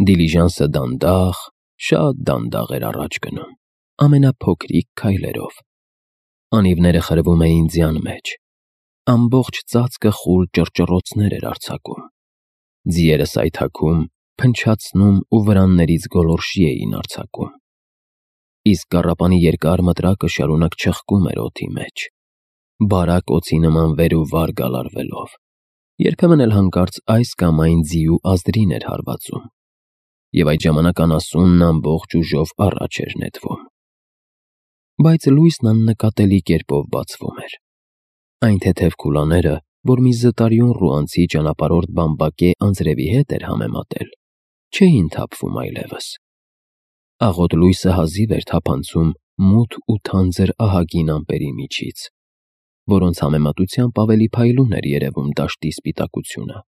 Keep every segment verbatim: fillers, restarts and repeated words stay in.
Դիլիժանսը դանդաղ, շատ դանդաղ էր առաջ գնում, ամենափոքրիկ քայլերով։ Անիվները խրվում էին ձյան մեջ, ամբողջ ծածկը խուլ ճռճռոցներ էր արձակում, ձիերը սայթաքում, փնչացնում ու վրաններից գոլորշի էին արձակում, իսկ կառապանի երկար մտրակը շարունակ չխկում էր օդի մեջ, բարակ օձի նման վեր ու վար գալարվելով, երբեմն էլ հանկարծ այս կամ այն ձիու ազդրին էր հարվածում, և այդ ժամանակ անասունն ամբողջ ուժով առաջ էր նետվում։ Բայց լույսն աննկատելի կերպով բացվում էր։ Այն թեթև քուլաները, որ մի զտարյուն ռուանցի ճանապարհորդ բամբակե անձրևի հետ էր համեմատել, չէին թափվում այլևս։ Աղոտ լույսը հազիվ էր թափանցում մութ ու թանձր ահագին ամպերի միջից, որոնց համեմատությամբ ավելի փայլուն էր երևում դաշտի սպիտակությունը,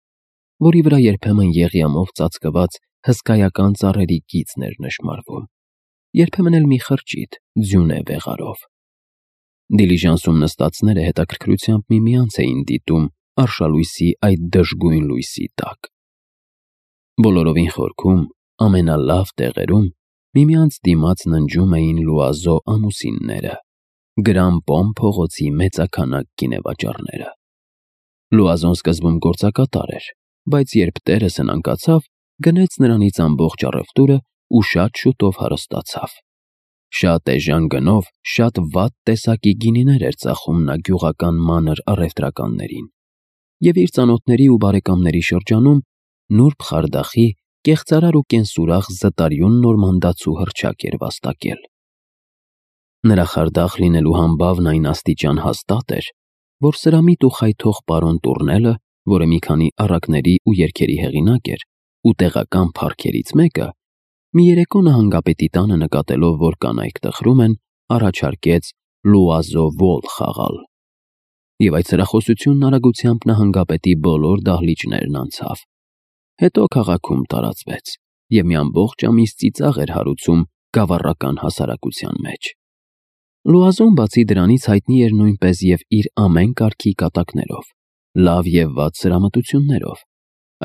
որի վրա երբեմն եղյամով ծածկված հսկայական ծառերի կիցն էր նշմարվում, երբեմն էլ մի խրճիթ ձյունե վեղարով։ Դիլիժանսում նստածները հետաքրքրությամբ միմյանց էին դիտում արշալույսի այդ դժգույն լույսի տակ։ Բոլորովին խորքում, ամենալավ տեղերում միմյանց դիմաց ննջում էին Լուազո ամուսինները, Գրամպոմ փողոցի մեծաքանակ գինեվաճառները։ Լուազոն սկզբում գործակատար էր, բայց երբ տերը սնանկացավ, գնեց նրանից ամբողջ առևտուրը ու շատ շուտով հարստացավ։ Շատ էժան գնով շատ վատ տեսակի գինիներ էր ծախում նա գյուղական մանր առևտրականներին, և իր ծանոթների ու բարեկամների շրջանում նուրբ խարդախի, կեղծարար ու կենսուրախ զտարյուն նորմանդացու հռչակ էր վաստակել։ Նրա խարդախ լինելու համբավն այն աստիճան հաստատ էր, որ սրամիտ ու խայթող պարոն Տուռնելը, որը մի քանի առակների ու երգերի հեղինակ էր, ու տեղական փառքերից մեկը, մի երեկո նահանգապետի տանը նկատելով, որ կանայք տխրում են, առաջարկեց Լուազո Ոլ խաղալ, և այդ սրախոսությունն արագությամբ նահանգապետի բոլոր դահլիճներն անցավ, հետո քաղաքում տարածվեց և մի ամբողջ ամիս ծիծաղ էր հարուցում գավառական հասարակության մեջ։ Լուազոն բացի դրանից հայտնի էր նույնպես և իր ամեն կարգի կատակներով, լավ և վատ սրամտություններով,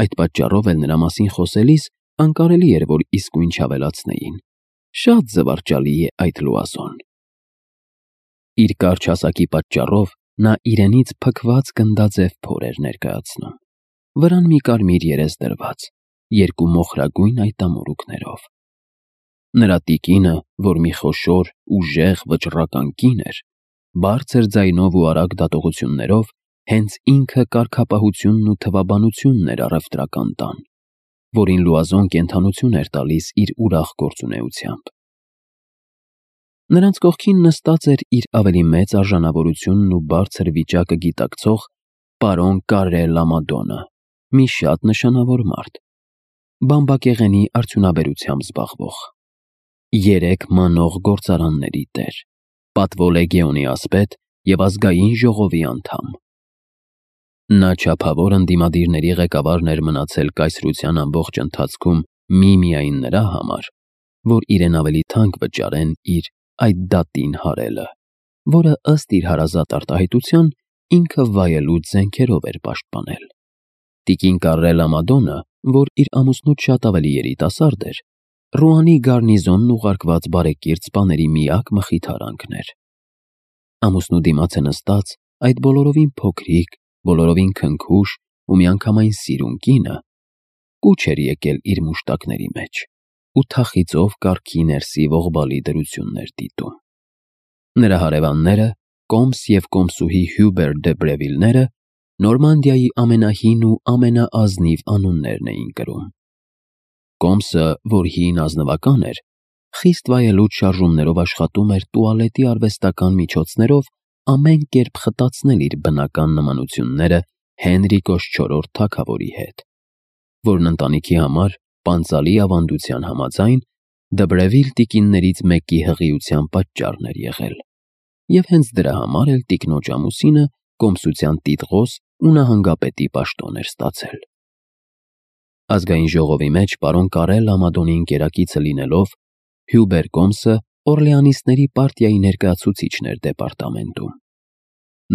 այդ պատճառով էլ նրա մասին խոսելիս անկարելի էր, որ իսկույն չավելացնեին. շատ զվարճալի է այդ Լուազոն։ Իր կարճ հասակի պատճառով նա իրենից փքված գնդաձև փոր էր ներկայացնում, վրան մի կարմիր երես դրված, երկու մոխրագույն այտամորուքներով։ Նրա տիկինը, որ մի խոշոր, ուժեղ, վճռական կին էր, բարձր ձայնով ու արագ դատողություններով հենց ինքը կարգապահությունն ու թվաբանությունն էր առևտրական տան, որին Լուազոն կենդանություն էր տալիս իր ուրախ գործունեությամբ։ Նրանց կողքին նստած էր իր ավելի մեծ արժանավորությունն ու բարձր վիճակը գիտակցող պարոն Կարրե Լամադոնը, մի շատ նշանավոր մարդ, բամբակեղենի արդյունաբերությամբ զբաղվող, երեք մանող գործարանների տեր, Պատվո Լեգեոնի ասպետ և ազգային ժողովի անդամ։ Նա չափավոր ընդդիմադիրների ղեկավարն էր մնացել կայսրության ամբողջ ընթացքում միմիայն նրա համար, որ իրեն ավելի թանկ վճարեն իր այդ դատին հարելը, որը ըստ իր հարազատ արտահայտության ինքը վայելուչ զենքերով էր պաշտպանել։ Տիկին Կարրե Լամադոնը, որ իր ամուսնուց շատ ավելի երիտասարդ էր, Ռուանի գարնիզոնն ուղարկված բարեկիրթ սպաների միակ մխիթարանքն էր։ Ամուսնու դիմաց է նստած այդ բոլորովին փոքրիկ, բոլորովին քնքուշ ու միանգամայն սիրուն կինը կուչ էր եկել իր մուշտակների մեջ ու թախիծով կառքի ներսի ողբալի դրություններ դիտում։ Նրա հարևանները, կոմս և կոմսուհի Հյուբեր դե Բրևիլները, Նորմանդիայի ամենահին ու ամենաազնիվ անուններն էին կրում։ Կոմսը, որ հին ազնվական էր, խիստ վայելուչ շարժումներով աշխատում էր տուալետի արվեստական միջոցներով ամեն կերպ խտացնել իր բնական նմանությունները Հենրիկոս չորրորդ թագավորի հետ, որն ընտանիքի համար պանծալի ավանդության համաձայն Դե Բրևիլ տիկիններից մեկի հղիության պատճառն էր եղել, և հենց դրա համար էլ տիկնոջ ամուսինը կոմսության տիտղոս ու նահանգապետի պաշտոն էր ստացել։ Ազգային ժողովի մեջ պարոն Կարրե Լամադոնի ընկերակիցը լինելով, Հյուբեր կոմսը Օրլեանիստների պարտիայի ներկայացուցիչն էր դեպարտամենտում։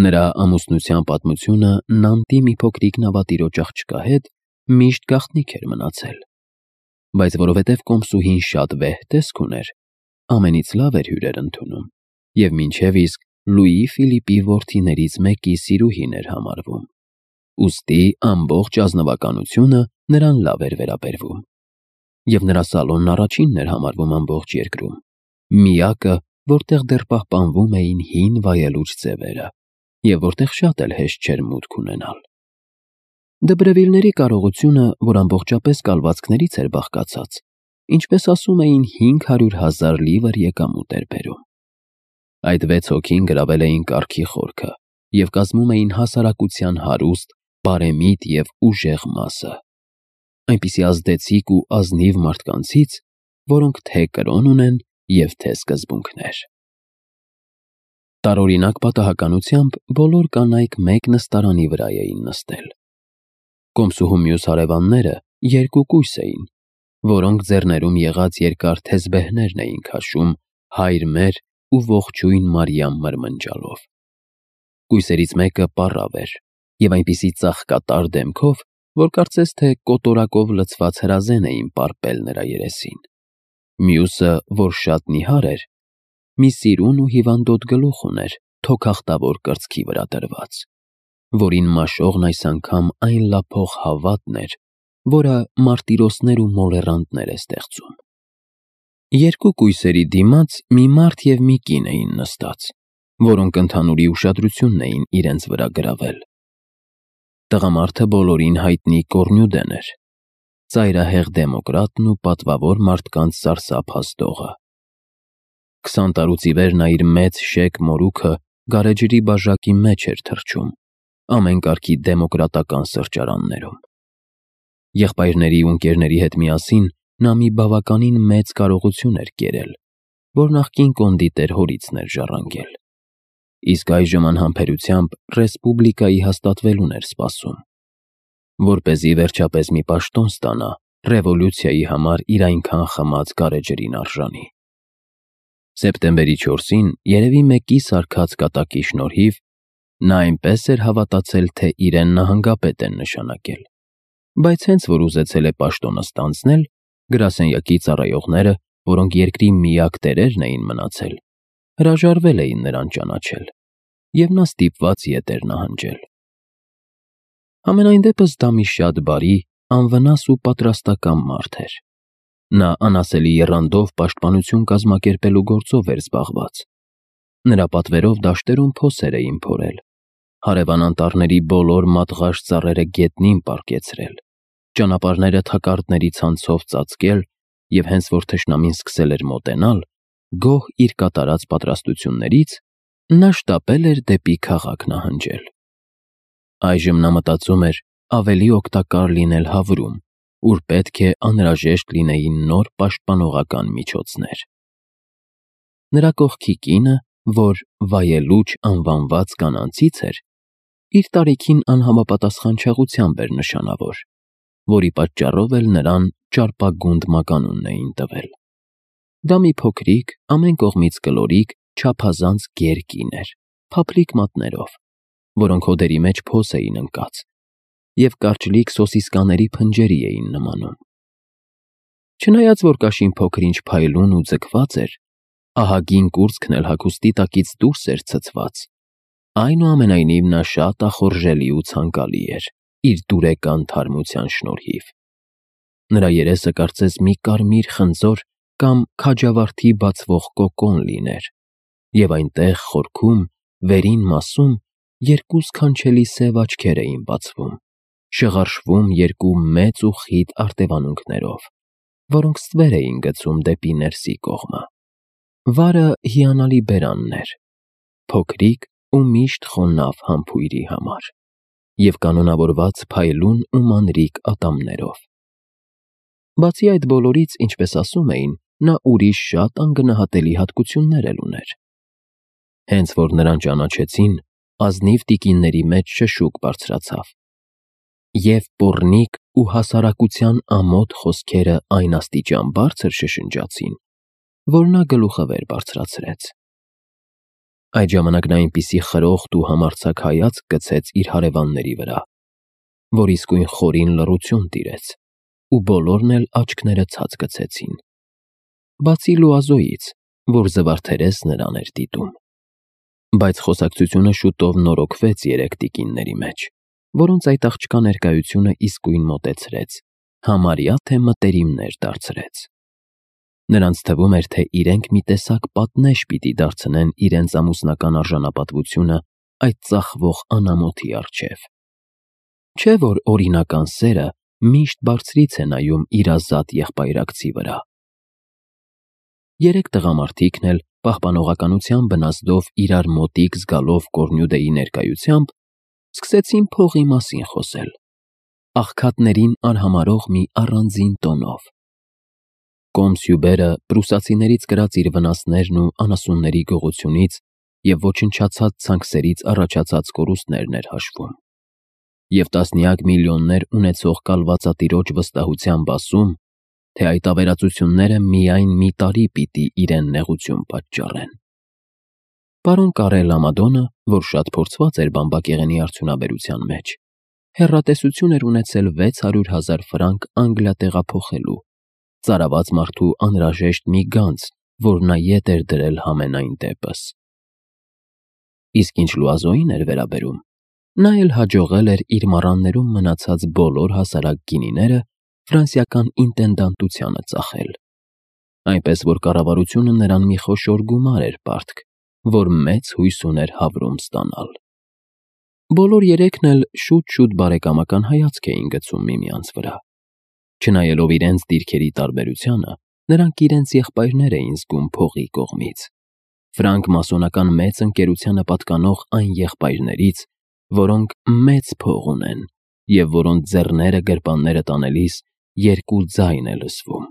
Նրա ամուսնության պատմությունը Նանտի մի փոքրիկ նավատիրոջ աղջկա հետ միշտ գաղտնիք էր մնացել։ բայց որովհետև կոմսուհին շատ վեհ տեսք ուներ, ամենից լավ էր հյուրեր ընդունում և մինչև իսկ Լուի Ֆիլիպի որդիներից մեկի սիրուհին էր համարվում, ուստի ամբողջ ազնվականությունը նրան լավ էր վերաբերվում, և նրա սալոնն առաջինն էր համարվում ամբողջ երկրում, միակը, որտեղ դեռ պահպանվում էին հին վայելուչ ձևերը և որտեղ շատ էլ հեշտ չէր մուտք ունենալ։ Դեբրևիլների կարողությունը, որ ամբողջապես կալվածքներից էր բաղկացած, ինչպես ասում էին, հինգ հարյուր հազար լիվր եկամուտ էր բերում։ Այդ վեց հոգին գրավել էին կարգի խորքը և կազմում էին հասարակության հարուստ, բարեմիտ և ուժեղ մասը, այնպիսի ազդեցիկ ու ազնիվ մարդկանցից, որոնք թե կրոն ունեն և թե սկզբունքներ։ Տարօրինակ պատահականությամբ բոլոր կանայք մեկ նստարանի վրա էին նստել։ Կոմսուհու մյուս հարևանները երկու կույս էին, որոնք ձեռներում եղած երկար թեզբեհներն էին քաշում «Հայր մեր» ու «Ողջույն Մարիամ» մրմնջալով։ Կույսերից մեկը պառավ էր և այնպիսի ծաղկատար դեմքով, որ կարծես թե կոտորակով լցված հրազեն էին պարպել նրա երեսին։ Մյուսը, որ շատ նիհար էր, մի սիրուն ու հիվանդոտ գլուխ ուներ թոքախտավոր կրծքի վրա դրված, որին մաշողն այս անգամ այն լափող հավատն էր, որը մարտիրոսներ ու մոլեռանդներ է ստեղծում։ Երկու կույսերի դիմաց մի մարդ և մի կին էին նստած, որոնք ընդհանուրի ուշադրությունն էին իրենց վրա գրավել։ Տղամարդը բոլորին հայտնի Կոռնյուդեն էր, ծայրահեղ դեմոկրատն ու պատվավոր մարդկանց սարսափ Քսան տարուց ի վեր նա իր մեծ շեկ մորուքը գարեջրի բաժակի մեջ էր թռչում ամեն կարգի դեմոկրատական սրճարաններում։ Եղբայրների ու ընկերների հետ միասին նա մի բավականին մեծ կարողություն էր կերել, որ նախկին կոնդիտեր հորիցն էր ժառանգել, իսկ այժմ անհամբերությամբ ռեսպուբլիկայի հաստատվելուն էր սպասում, որպեսզի վերջապես մի պաշտոն ստանա ռևոլյուցիայի համար իր այնքան խմած գարեջրին արժանի։ Սեպտեմբերի չորսին երևի մեկի սարքած կատակի շնորհիվ նա այնպես էր հավատացել, թե իրեն նահանգապետ են նշանակել, բայց հենց որ ուզեցել է պաշտոնը ստանձնել, գրասենյակի ծառայողները, որոնք երկրի միակ տերերն էին մնացել, հրաժարվել էին նրան ճանաչել, և նա ստիպված ետ էր նահանջել։ Համենայն դեպս դա մի շատ բարի, անվնաս ու պատրաստակամ մարդ էր։ Նա անասելի եռանդով պաշտպանություն կազմակերպելու գործով էր զբաղված։ Նրա պատվերով դաշտերում փոսեր էին փորել, հարևան անտառների բոլոր մատղաշ ծառերը գետնին պառկեցրել, ճանապարհները թակարդների ցանցով ծածկել և հենց որ թշնամին սկսել էր մոտենալ, գոհ իր կատարած պատրաստություններից, նա շտապել էր դեպի քաղաք նահանջել։ Այժմ նա մտածում էր ավելի օգտակար լինել Հավրում, ուր պետք է անհրաժեշտ լինեին նոր պաշտպանողական միջոցներ։ Նրա կողքի կինը, որ վայելուչ անվանված կանանցից էր, իր տարիքին անհամապատասխանչաղությամբ էր նշանավոր, որի պատճառով էլ նրան ճարպագունդ մականունն էին տվել։ Դա մի փոքրիկ, ամեն կողմից կլորիկ, չափազանց գեր կին էր, փափլիկ մատներով, որոնք հոդերի մեջ փոս էին ընկած և կարճլիկ սոսիսկաների փնջերի էին նմանում։ Չնայած որ կաշին փոքր-ինչ փայլուն ու ձգված էր, ահագին կուրծքն էլ հագուստի տակից դուրս էր ցցված, այնուամենայնիվ նա շատ ախորժելի ու ցանկալի էր իր դուրեկան թարմության շնորհիվ։ Նրա երեսը կարծես մի կարմիր խնձոր կամ քաջավարտի բացվող կոկոն լիներ, և այնտեղ խորքում, վերին մասում երկու սքանչելի սև աչքեր էին բացվում, շղարշվում երկու մեծ ու խիտ արտևանունքներով, որոնք ստվեր էին գցում դեպի ներսի կողմը։ Վարը հիանալի բերանն էր, փոքրիկ ու միշտ խոնավ համբույրի համար, և կանոնավորված փայլուն ու մանրիկ ատամներով։ Բացի այդ բոլորից, ինչպես ասում էին, նա ուրիշ շատ անգնահատելի հատկություններ էլ ուներ։ Հենց որ նրան ճանաչեցին, ազնիվ տիկինների մեջ շշուկ բարձրացավ, և պոռնիկ ու հասարակության ամոթ խոսքերը այն աստիճան բարձր շշնջացին, որ նա գլուխը վեր բարձրացրեց։ Այդ ժամանակ նա այնպիսի խրոխտ ու համարձակ հայացք գցեց իր հարևանների վրա, որ իսկույն խորին լռություն տիրեց, ու բոլորն էլ աչքները ցած գցեցին։ Բացի Լուազոյից, որ զվարթերես նրան էր դիտում։ Բայց խոսակցությունը շուտով նորոգվեց երեք տիկինների մեջ, որոնց այդ աղջկա ներկայությունը իսկույն մոտեցրեց, համարյա թե մտերիմներ դարձրեց։ Նրանց թվում էր, թե իրենք մի տեսակ պատնեշ պիտի դարձնեն իրենց ամուսնական արժանապատվությունը այդ ծախվող անամոթի առջև։ Չէ՞ որ օրինական սերը միշտ բարձրից է նայում իր ազատ եղբայրակցի վրա։ Երեք տղամարդիկն էլ պահպանողականության բնազդով իրար մոտիկ զգալով Կորնյուդեի ներկայությամբ սկսեցին փողի մասին խոսել, աղքատներին արհամարհող մի առանձին տոնով։ Կոմս Հյուբերը պրուսացիներից կրած իր վնասներն ու անասունների գողությունից և ոչնչացած ցանքսերից առաջացած կորուստներն էր հաշվում, և տասնյակ միլիոններ ունեցող կալվածատիրոջ վստահությամբ ասում, թե այդ ավերածությունները միայն մի տարի պիտի իրեն նեղություն պատճառեն։ Պարոն Կարել Ամադոնը, որ շատ փորձված էր բամբակեղենի արդյունաբերության մեջ, հեռատեսություն էր ունեցել վեց հարյուր հազար ֆրանկ Անգլիա տեղափոխելու, ծարաված մարդու անհրաժեշտ մի գանձ, որ նա ետ էր դրել համենայն դեպս։ Իսկ ինչ Լուազոյին էր վերաբերում, նա էլ հաջողել էր իր մառաններում մնացած բոլոր հասարակ գինիները ֆրանսիական ինտենդանտությանը ծախել, այնպես որ կառավարությունը նրան մի խոշոր գումար էր պարտք, որ մեծ հույս ուներ Հավրում ստանալ։ Բոլոր երեքն էլ շուտ-շուտ բարեկամական հայացք էին գցում միմյանց վրա։ Չնայելով իրենց դիրքերի տարբերությանը, նրանք իրենց եղբայրներ էին զգում փողի կողմից, ֆրանկ֊մասոնական մեծ ընկերությանը պատկանող այն եղբայրներից, որոնք մեծ փող ունեն և որոնց ձեռները գրպանները տանելիս երկու ձայն է լսվում։